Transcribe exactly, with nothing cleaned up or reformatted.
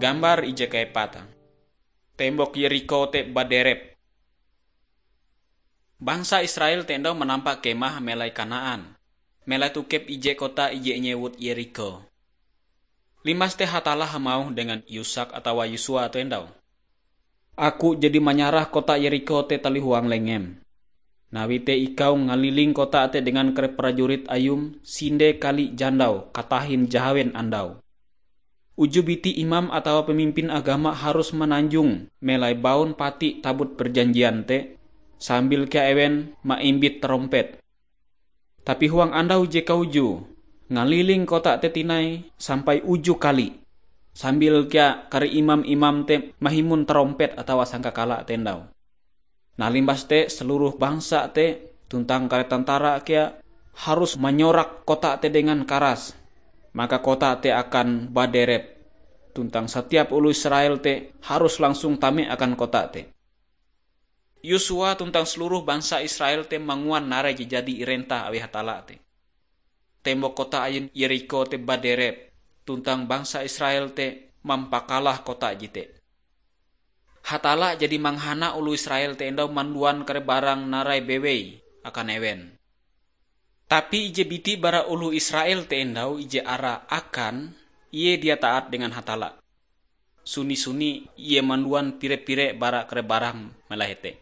Gambar ije kaepate. Tembok Yerikho te baderep. Bangsa Israel te endau manampa kemah melai Kanaan, melai tokep ije kota ije inyewut Yerikho. Limbas te Hatalla hamauh dengan Yusak atawa Yosua te endau, "Aku jadi manyarah kota Yerikho te talihuang lengem. Nawi te ikau ngaliling kota te dengan kare prajurit ayum sinde kali jandau katahin jahawen andau. Uju biti imam atawa pamimpin agama harus mananjong melai baun pati tabut perjanjian te, sambil kea ewen maimbit tarompet. Tapi huang andau je kaujue, ngaliling kota te tinai sampai uju kali, sambil kea kare imam-imam te mahimun tarompet atawa sangkakala te endau. Nah, limbas te seluruh bangsa te tuntang kare tentara kea harus manyorak kota te dengan karas, maka kota te akan baderep, tuntang satiap oloh Israel te harus langsung tame akan kota te." Yosua tuntang seluruh bangsa Israel te manguan narai je jadi irentah awi Hatalla te. Tembok kota ayun Yerikho te baderep, tuntang bangsa Israel te mampakalah kota jete. Hatalla jadi manghana oloh Israel te endau manduan kare barang narai bewei akan ewen. Tapi ije biti bara oloh Israel te endau ije ara Akan, ie dia taat dengan Hatalla. Suni-suni ie manduan pire-pire bara kare barang melahe te.